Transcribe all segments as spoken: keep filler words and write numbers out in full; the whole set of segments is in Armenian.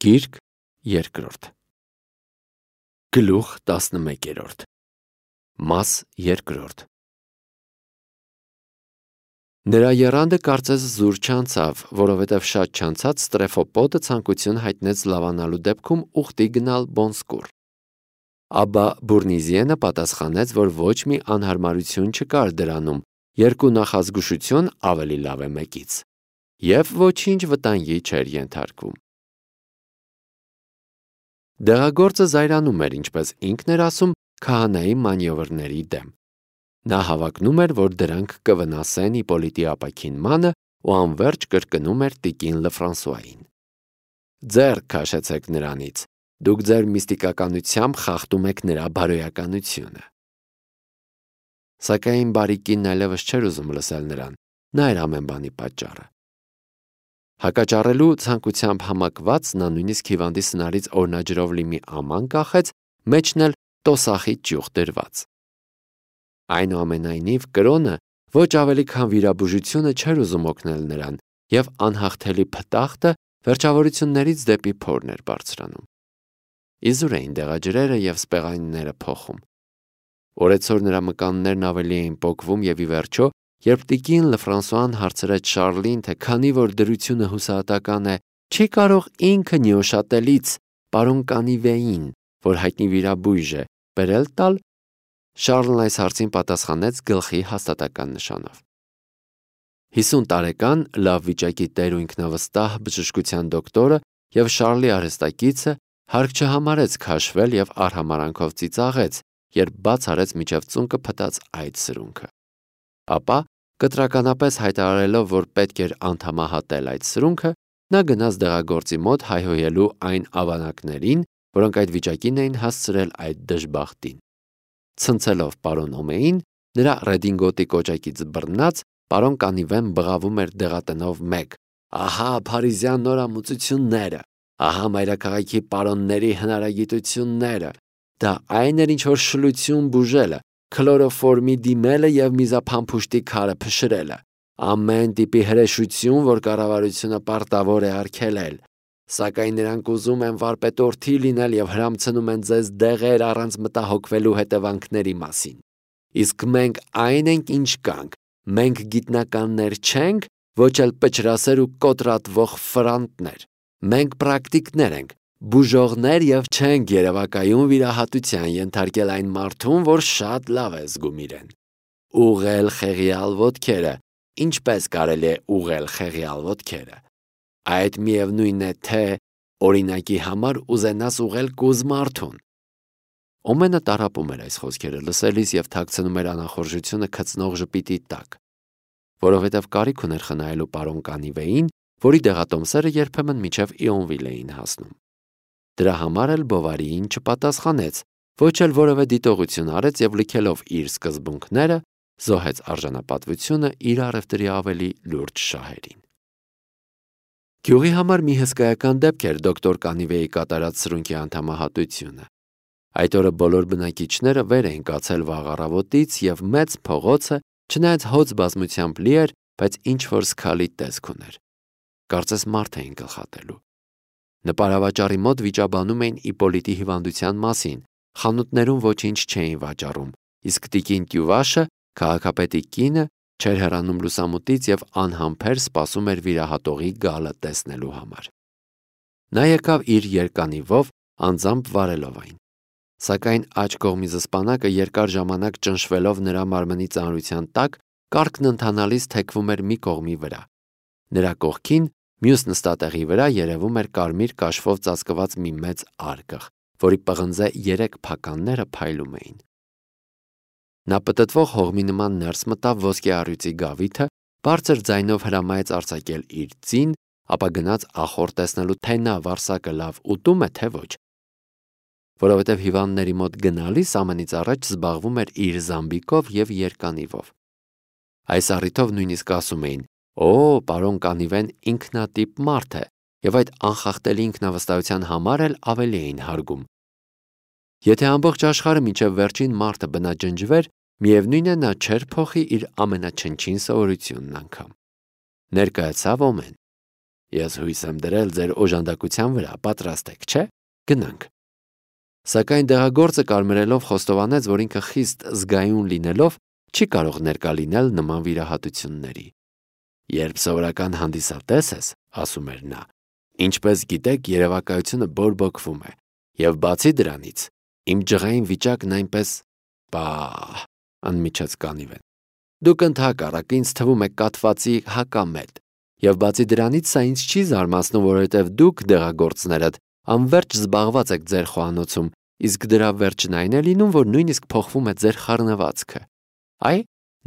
Գիրք երկրորդ Գլուխ տասնմեկերորդ Մաս երկրորդ Նրա եռանդը կարծես զուր չանցավ, որովհետև շատ չանցած Ստրեֆոպոտը ցանկություն հայտնեց լավանալու դեպքում ուխտի գնալ Բոնսկուր։ Աբա Բուրնիզիենը պատասխանեց, որ ոչ մի անհարմարություն չկար դրանում, երկու նախազգուշություն ավելի լավ է մեկից, և ոչինչ վտանգի չէր ենթարկվում։ Դեղագործը զայրանում էր, ինչպես ինքն էր ասում, քահանայի մանևրների դեմ։ Նա հավակնում էր, որ դրանք կվնասեն Իպոլիտի ապաքինմանը ու անվերջ կրկնում էր տիկին Լefrançois-ին. «Ձեռք քաշեցեք նրանից, դուք ձեր միստիկականությամբ խախտում եք նրա բարոյականությունը»։ Սակայն բարի կինն այլևս չէր ուզում լսել նրան, նա էր ամեն բանի պատճառը։ Հակաճառելու ցանկությամբ համակված նա նույնիսկ հիվանդի սնարից օրնաջրով լի մի աման կախեց, մեջն էլ տոսախի ճյուղ դրված։ Այնուամենայնիվ կրոնը ոչ ավելի քան վիրաբուժությունը չէր ուզում օգնել նրան, և անհաղթելի փտախտը վերջավորություններից դեպի փորն էր բարձրանում։ Իզուր էին դեղաջրերը և սպեղանիները փոխում։ Օրեցօր նրա մկաններն ավելի էին պոկվում և ի վերջո, երբ տիկին Լefrançois-ն հարցրեց Շառլին, թե քանի որ դրությունը հուսահատական է, չի կարող ինքը Նյուշատելից պարոն Կանիվեին, որ հայտնի վիրաբույժ է, բերել տալ, Շառլն այս հարցին պատասխանեց գլխի հաստատական նշանով։ Հիսուն տարեկան լավ վիճակի տեր ու ինքնավստահ բժշկության դոկտորը և Շառլի արհեստակիցը հարկ չհամարեց քաշվել և արհամարհանքով ծիծաղեց, երբ բաց արեց մինչև ծունկը փտած այդ սրունքը։ Ապա, կտրականապես հայտարարելով, որ պետք էր անդամահատել այդ սրունքը, նա գնաց դեղագործի մոտ հայհոյելու այն ավանակներին, որոնք այդ վիճակին էին հասցրել այդ դժբախտին։ Ցնցելով պարոն Օմեին, նրա ռեդինգոտի կոճակից բռնած, պարոն Կանիվեն բղավում էր դեղատնով մեկ. «Ահա փարիզյան նորամուծությունները, ահա մայրաքաղաքի պարոնների հնարագիտությունները, դա այն էր, ինչ-որ շլություն բուժելը, քլորոֆորմի դիմելը և միզափամփուշտի քարը փշրելը, ամեն տիպի հրեշություն, որ կառավարությունը պարտավոր է արգելել, սակայն նրանք ուզում են վարպետորդի լինել և հրամցնում են ձեզ դեղեր առանց մտահոգվելու հետևանքների մասին։ Իսկ մենք այն ենք, ինչ կանք, մենք գիտնականներ չենք, ոչ էլ պճրասեր ու կոտրատվող ֆրանտներ, մենք պրակտիկներ ենք, բուժողներ և չենք երևակայում վիրահատության ենթարկել այն մարդուն, որ շատ լավ է զգում իրեն։ Ուղղել խեղյալ ոտքերը, ինչպես կարելի է ուղղել խեղյալ ոտքերը։ Այդ միևնույն է, թե օրինակի համար ուզենաս ուղղել կուզ մարդուն»։ Օմենը տառապում էր այս խոսքերը լսելիս և թաքցնում էր անախորժությունը քծնող ժպիտի տակ, որովհետև կարիք ուներ խնայելու պարոն Կանիվեին, որի դեղատոմսերը երբեմն մինչև Իոնվիլ էին հասնում։ Դրա համար էլ Բովարիին չպատասխանեց, ոչ էլ որևէ դիտողություն արեց և լքելով իր սկզբունքները, զոհեց արժանապատվությունը իր առևտրի ավելի լուրջ շահերին։ Գյուղի համար մի հսկայական դեպք էր դոկտոր Կանիվեի կատարած սրունքի անդամահատությունը։ Այդ օրը բոլոր բնակիչները վեր էին կացել վաղ առավոտից, և մեծ փողոցը, չնայած հոծ բազմությամբ լի էր, բայց ինչ-որ զգալի տեսք ուներ։ Կարծես մարդ էին գլխատելու։ Նպարավաճառի մոտ վիճաբանում էին Իպոլիտի հիվանդության մասին, խանութներում ոչինչ չէին վաճառում, իսկ տիկին Տյուվաշը, քաղաքապետի կինը, չէր հեռանում լուսամուտից և անհամբեր սպասում էր վիրահատողի գալը տեսնելու համար։ Նա եկավ իր երկանիվով, անձամբ վարելով այն։ Սակայն աջ կողմի զսպանակը երկար ժամանակ ճնշվելով նրա մարմնի ծանրության տակ, կառքն ընթանալիս թեքվում էր մի կողմի վրա։ Նրա կողքին, մյուս նստատեղի վրա երևում էր կարմիր կաշվով ծածկված մի մեծ արկղ, որի պղնձե երեք փականները փայլում էին։ Նա պտտվող հողմի նման ներս մտավ ոսկե առյուծի գավիթը, բարձր ձայնով հրամայեց արձակել իր ձին, ապա գնաց ախոր տեսնելու, թե նա վարսակը լավ ուտում է, թե ոչ։ Որովհետև հիվանդների մոտ գնալիս ամենից առաջ զբաղվում էր իր զամբիկով և երկանիվով։ Այս առիթով նույնիսկ ասում էին. «Օ, պարոն Կանիվեն ինքնատիպ մարդ է», և այդ անխախտելի ինքնավստահության համար էլ ավելի էին հարգում։ Եթե ամբողջ աշխարհը մինչև վերջին մարդը բնաջնջվեր, միևնույն է նա չէր փոխի իր ամենաչնչին սովորությունն անգամ։ Ներկայացավ Օմեն։ Ես հույս եմ դրել ձեր օժանդակության վրա, պատրաստ եք, չէ՞։ Գնանք։ Սակայն դեղագործը կարմրելով խոստովանեց, որ ինքը խիստ զգայուն լինելով չի կարող ներկա լինել նման վիրահատությունների։ Երբ սովորական հանդիսատես ես, ասում էր նա, ինչպես գիտեք, երևակայությունը բորբոքվում է, եւ բացի դրանից, իմ ջղային վիճակն այնպես բա, անմիջած կանիվեն։ Դուք ընդհակառակ ինձ թվում է կատվածի հակամետ, եւ բացի դրանից սա ինձ չի զարմացնում, որովհետեւ դուք դեղագործներդ անverջ զբաղված եք ձեր խոհանոցում, իսկ դրա վերջն այն է լինում, որ նույնիսկ փոխվում է ձեր խառնվածքը։ Այ,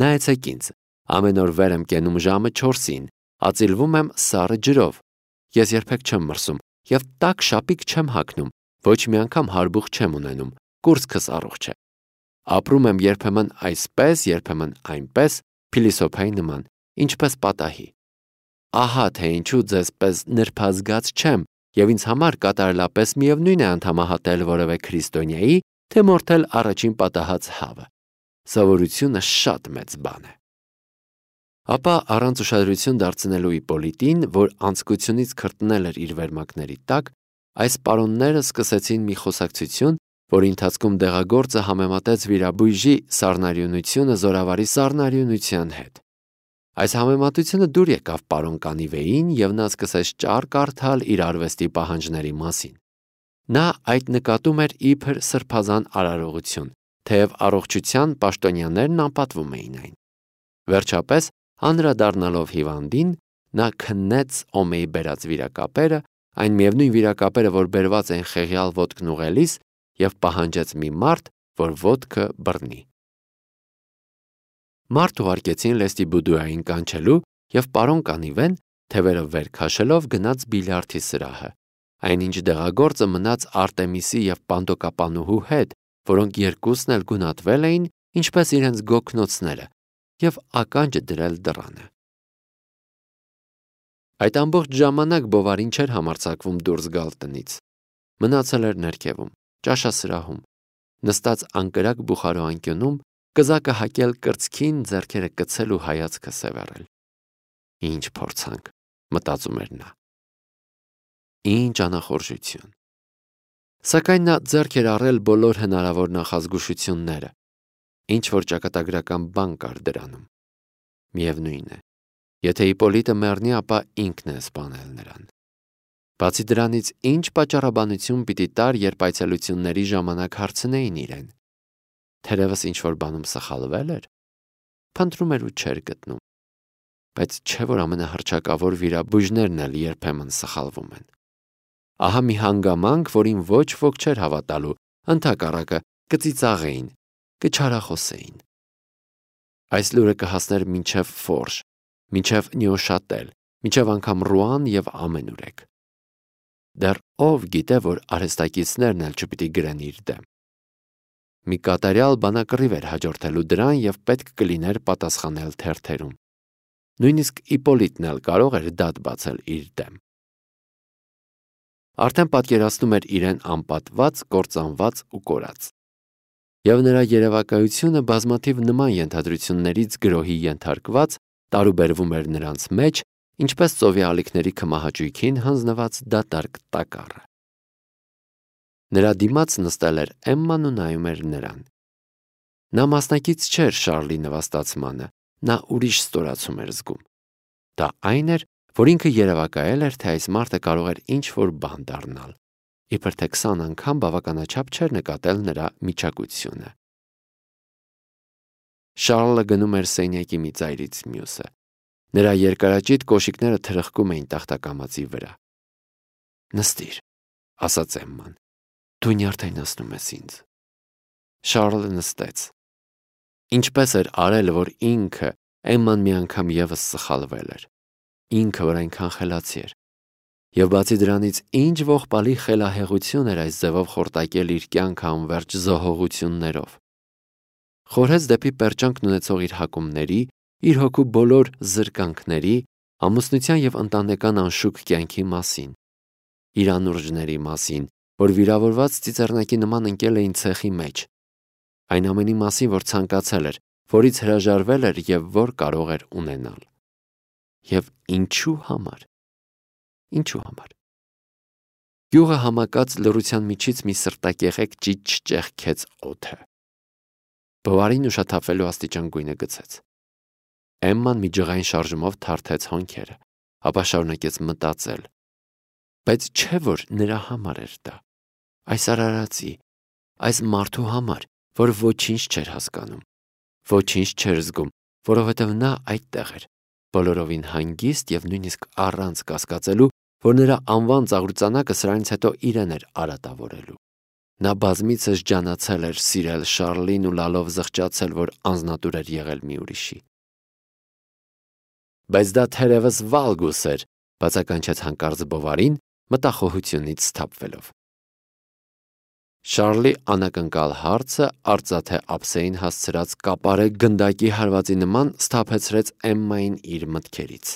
նայեցեք ինձ, ամեն օր վեր եմ կենում ժամը չորսին, ածիլվում եմ սառը ջրով։ Ես երբեք չեմ մրսում եւ տաք շապիկ չեմ հագնում, ոչ մի անգամ հարբուխ չեմ ունենում, կուրծքս առողջ է։ Ապրում եմ երբեմն այսպես, երբեմն այնպես, փիլիսոփայի նման, ինչպես պատահի։ Ահա թե ինչու ձեզպես նրբազգաց չեմ, եւ ինձ համար կատարելապես միևնույն է անդամահատել որևէ քրիստոնյայի, թե մորթել առաջին պատահած հավը։ Սովորությունը շատ մեծ բան է։ Ապա առանց ուշադրություն դարձնելու Իպոլիտին, որ անձկությունից քրտնել էր իր վերմակների տակ, այս պարոնները սկսեցին մի խոսակցություն, որի ընթացքում դեղագործը համեմատեց վիրաբույժի սառնարյունությունը զորավարի սառնարյունության հետ։ Այս համեմատությունը դուր եկավ պարոն Կանիվեին, եւ նա սկսեց ճառ կարդալ իր արվեստի պահանջների մասին։ Նա այդ նկատում էր իբր սրբազան արարողություն, թեև առողջության պաշտոնյաներն անպատվում էին այն։ Վերջապես, անդրադառնալով հիվանդին, նա քննեց Օմեի բերած վիրակապերը, այն միևնույն վիրակապերը, որ բերված են խեղյալ ոտքն ուղղելիս, եւ պահանջեց մի մարդ, որ ոտքը բռնի։ Մարդ ուղարկեցին լեստի բուդուային կանչելու, եւ պարոն Կանիվեն, թևերը վեր քաշելով, գնաց բիլիարդի սրահը։ Այնինչ դեղագործը մնաց Արտեմիսի եւ Պանդոկապանուհու հետ, որոնք երկուսն էլ գունատվել էին, ինչպես իրենց գոգնոցները, եւ ականջը դրել դռանը։ Այդ ամբողջ ժամանակ Բովարին չէր համարձակվում դուրս գալ տնից։ Մնացել էր ներքևում, ճաշասրահում, նստած անկրակ բուխարո անկյունում, կզակը հակել կրծքին, ձեռքերը կցել ու հայացքը սևեռել։ Ինչ փորձանք, մտածում էր նա։ Ինչ անախորժություն։ Սակայն նա ձեռք էր առել բոլոր հնարավոր նախազգուշությունները, ինչ որ ճակատագրական բան կար դրանում։ Միևնույն է, եթե Իպոլիտը մեռնի, ապա ինքն է սպանել նրան։ Բացի դրանից, ինչ պատճառաբանություն պիտի տար, երբ այցելությունների ժամանակ հարցնեին իրեն։ Թերևս ինչ-որ բանում սխալվել էր, փնտրում էր ու չէր գտնում, բայց չէ որ ամենահռչակավոր վիրաբույժներն էլ երբեմն սխալվում են։ Ահա մի հանգամանք, որին ոչ ոք չէր հավատալու, ընդհակառակը կծիծաղեին, կչարախոսեին։ Այս լուրը կհասներ մինչև Ֆորժ, մինչև Նյուշատել, մինչև անգամ Ռուան եւ ամենուրեք։ Դեռ ով գիտե, որ արհեստակիցներն էլ չպիտի գրեն իր դեմ։ Մի կատարյալ բանակռիվ էր հաջորդելու դրան եւ պետք կլիներ պատասխանել թերթերում։ Նույնիսկ Իպոլիտն էլ կարող էր դատ բացել իր դեմ։ Արդեն պատկերացնում էր իրեն անպատված, կործանված ու կորած։ Եվ նրա երևակայությունը բազմաթիվ նման ենթադրություններից գրոհի ենթարկված տարուբերվում էր նրանց մեջ, ինչպես ծովի ալիքների քմահաճույքին հանձնված դատարկ տակառը։ Նրա դիմաց նստել էր Էմման ու նայում էր նրան։ Նա մասնակից չէր Շարլի նվաստացմանը, նա ուրիշ ստորացում էր զգում։ Դա այն էր, որ ինքը երևակայել էր, թե այս մարդը կարող էր ինչ-որ բան դառնալ, իբր թե քսան անգամ բավականաչափ չէր նկատել նրա միջակությունը։ Շարլը գնում էր սենյակի մի ծայրից մյուսը։ Նրա երկարաճիտ կոշիկները թրխկում էին տախտակամածի վրա։ Նստիր, ասաց Էմման, դու նյարդայնացնում ես ինձ։ Շարլը նստեց։ Ինչպես էր արել, որ ինքը Էմման մի անգամ եւս սխալվել էր։ Ինքը, որ այնքան խելացի էր։ Եվ բացի դրանից, ինչ ողբալի խելահեղություն էր այս ձևով խորտակել իր կյանքը անverջ զոհողություններով։ Խորհեց դեպի պերճանքն ունեցող իր հակումների, իր հոգու բոլոր զրկանքների, ամուսնության եւ ընտանեկան անշուք կյանքի մասին, իր անուրջների մասին, որ վիրավորված ծիծեռնակի նման ընկել էին ցեխի մեջ, այն ամենի մասին, որ ցանկացել էր, որից հրաժարվել էր եւ որ կարող էր ունենալ։ Եվ ինչու համար։ Ինչու համար։ Գյուղը համակած լռության միջից մի սրտակեղեկ ճիչ ճեղքեց օդը։ Բավարին ուշաթափվելու աստիճան գույնը գցեց։ Էմման մի ջղային շարժումով թարթեց հոնքերը, ապա շարունակեց մտածել։ Բայց չէ որ նրա համար էր դա, այս արարածի, այս մարդու համար, որ ոչինչ չէր հասկանում, ոչինչ չէր զգում, որովհետև նա այդտեղ էր, բոլորովին հանգիստ և նույնիսկ առանց կասկածելու, որ նրա անվան ծաղրուծանակը սրանից հետո իրեն էր արատավորելու։ Նա բազմիցս ջանացել էր սիրել Շառլին ու լալով զղջացել, որ անձնատուր էր եղել մի ուրիշի։ Բայց դա թերևս վալգուս էր, բացականչեց հանկարծ Բովարին, մտախոհությունից սթափվելով։ Շառլի անակնկալ հարցը արծաթե ափսեին հասցրած կապարե գնդակի հարվածի նման սթափեցրեց Էմմային իր մտքերից։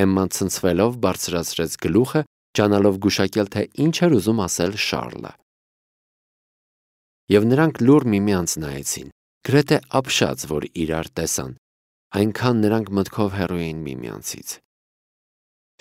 Էմման ցնցվելով բարձրացրեց գլուխը, ջանալով գուշակել, թե ինչ էր ուզում ասել Շառլը։ Եվ նրանք լուռ միմյանց նայեցին, գրեթե ապշած, որ իրար տեսան, այնքան նրանք մտքով հեռու էին միմյանցից։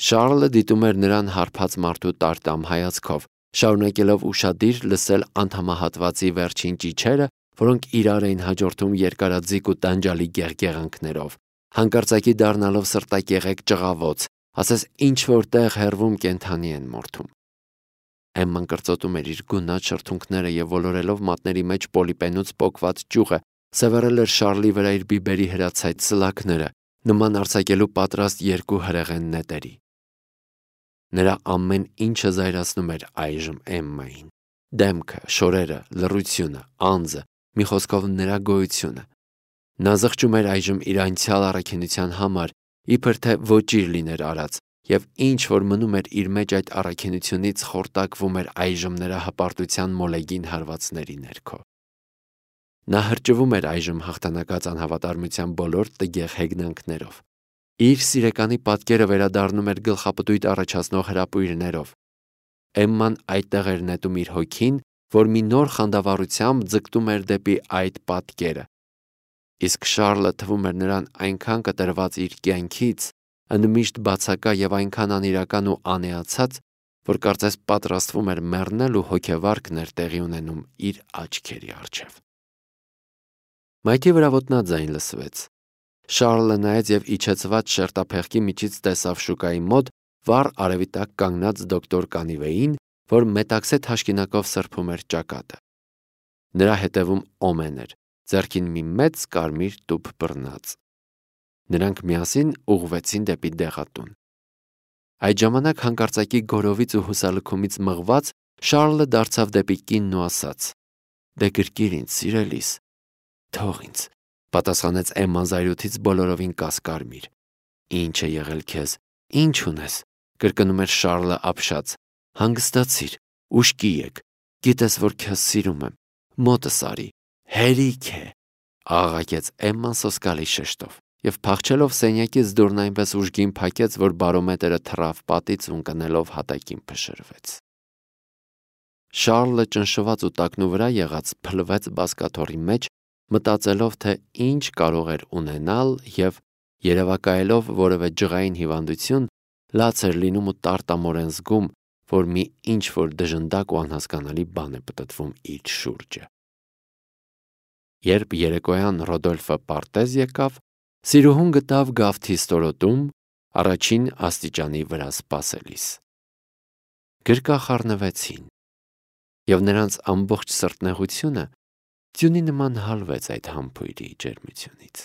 Շառլը դիտում էր նրան հարբած մարդու տարտամ հայացքով, շարունակելով ուշադիր լսել անդամահատվածի վերջին ճիչերը, որոնք իրար էին հաջորդում երկարաձիգ ու տանջալի գեղգեղանքներով, հանկարծակի դառնալով սրտակեղեկ ճղավոց, ասես ինչ-որ տեղ հեռվում կենդանի են մորթում։ Էմման կրծոտում էր իր գունատ շրթունքները և ոլորելով մատների մեջ պոլիպենուց պոկված ճյուղը, սևեռել էր Շառլի վրա իր բիբերի հրացայտ սլաքները, նման արձակելու պատրաստ երկու հրեղեն նետերի։ Նրա ամեն ինչը զայրացնում էր այժմ Էմմային։ Դեմքը, շորերը, լռությունը, անձը, մի խոսքով նրա գոյությունը։ Նա զղջում էր այժմ իր անցյալ առաքինության համար, իբր թե ոճիր լիներ արած, և ինչ որ մնում էր իր մեջ այդ առաքինությունից խորտակվում էր այժմ նրա հպարտության մոլեգին հարվածների ներքո։ Նա հրճվում էր այժմ հաղթանակած անհավատարմության բոլոր տգեղ հեգնանքներով։ Իր սիրեկանի պատկերը վերադառնում էր գլխապտույտ առաջացնող հրապույրներով։ Էմման այդտեղ էր նետում իր հոգին, որ մի նոր խանդավառությամբ ձգտում էր դեպի այդ պատկերը։ Իսկ Շառլը թվում էր նրան այնքան կտրված իր կյանքից, ընդմիշտ բացակա և այնքան անիրական ու անեացած, որ կարծես պատրաստվում էր մեռնել ու հոգեվարքն էր տեղի ունենում իր աչքերի առջև։ Մայթի վրա ոտնաձայն լսվեց։ Շառլը նայեց և իջեցված շերտափեղկի միջից տեսավ շուկայի մոտ վառ արևի տակ կանգնած դոկտոր Կանիվեին, որ մետաքսե թաշկինակով սրբում էր ճակատը։ Նրա հետևում Օմեն էր, ձեռքին մի մեծ կարմիր տուփ բռնած։ Նրանք միասին ուղղվեցին դեպի դեղատուն։ Այդ ժամանակ հանկարծակի գորովից ու հուսալքումից մղված Շառլը դարձավ դեպի կինն ու ասաց. «Դե գրկիր ինձ, սիրելիս»։ «Թող ինձ», պատասխանեց Էմման զայրույթից բոլորովին կասկարմիր։ «Ինչ է եղել քեզ, ինչ ունես», կրկնում էր Շառլը ապշած։ «Հանգստացիր, ուշքի եկ, գիտես, որ քեզ սիրում եմ, մոտս արի, հերիք է», աղաղակեց Էմման սոսկալի շեշտով և փախչելով սենյակից դուռն այնպես ուժգին փակեց, որ բարոմետրը թռավ պատից ու ընկնելով հատակին փշրվեց։ Շառլը ճնշված ու տակնու վրա եղած փլվեց բազկաթոռի մեջ, մտածելով, թե ինչ կարող էր ունենալ և, երևակայելով որևէ ջղային հիվանդություն, լաց էր լինում ու տարտամորեն զգում, որ մի ինչ-որ դժնդակ ու անհասկանալի բան է պտտվում իր շուրջը։ Երբ երեկոյան Ռոդոլֆը պարտեզ եկավ, սիրուհուն գտավ գավթի ստորոտում, առաջին աստիճանի վրա սպասելիս։ Գրկախառնվեցին, և նրանց ամբողջ սրտնեղությունը ձյունի նման հալվեց այդ համբույրի ջերմությունից։